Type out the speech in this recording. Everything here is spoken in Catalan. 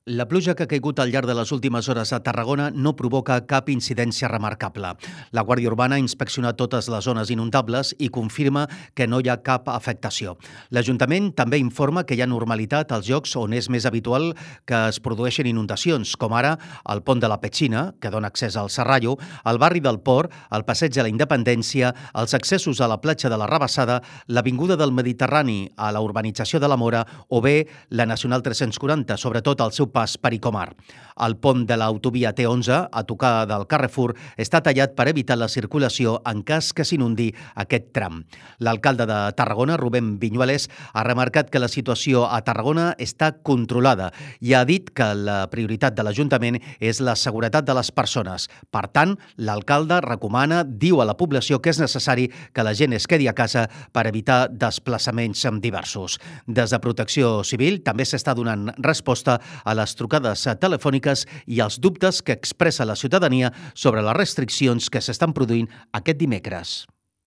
La pluja que ha caigut al llarg de les últimes hores a Tarragona no provoca cap incidència remarcable. La Guàrdia Urbana ha inspeccionat totes les zones inundables i confirma que no hi ha cap afectació. L'Ajuntament també informa que hi ha normalitat als llocs on és més habitual que es produeixin inundacions, com ara el pont de la Petxina, que dona accés al Serrallo, el barri del Port, el passeig de la Independència, els accessos a la platja de la Rabassada, l'avinguda del Mediterrani a la urbanització de la Mora o bé la Nacional 340, sobretot al seu pas per Icomar. El pont de l'autovia T11, a tocar del Carrefour, està tallat per evitar la circulació en cas que s'inundi aquest tram. L'alcalde de Tarragona, Rubén Viñuales, ha remarcat que la situació a Tarragona està controlada i ha dit que la prioritat de l'Ajuntament és la seguretat de les persones. Per tant, l'alcalde recomana, diu a la població que és necessari que la gent es quedi a casa per evitar desplaçaments diversos. Des de Protecció Civil també s'està donant resposta a les trucades telefòniques i els dubtes que expressa la ciutadania sobre les restriccions que s'estan produint aquest dimecres.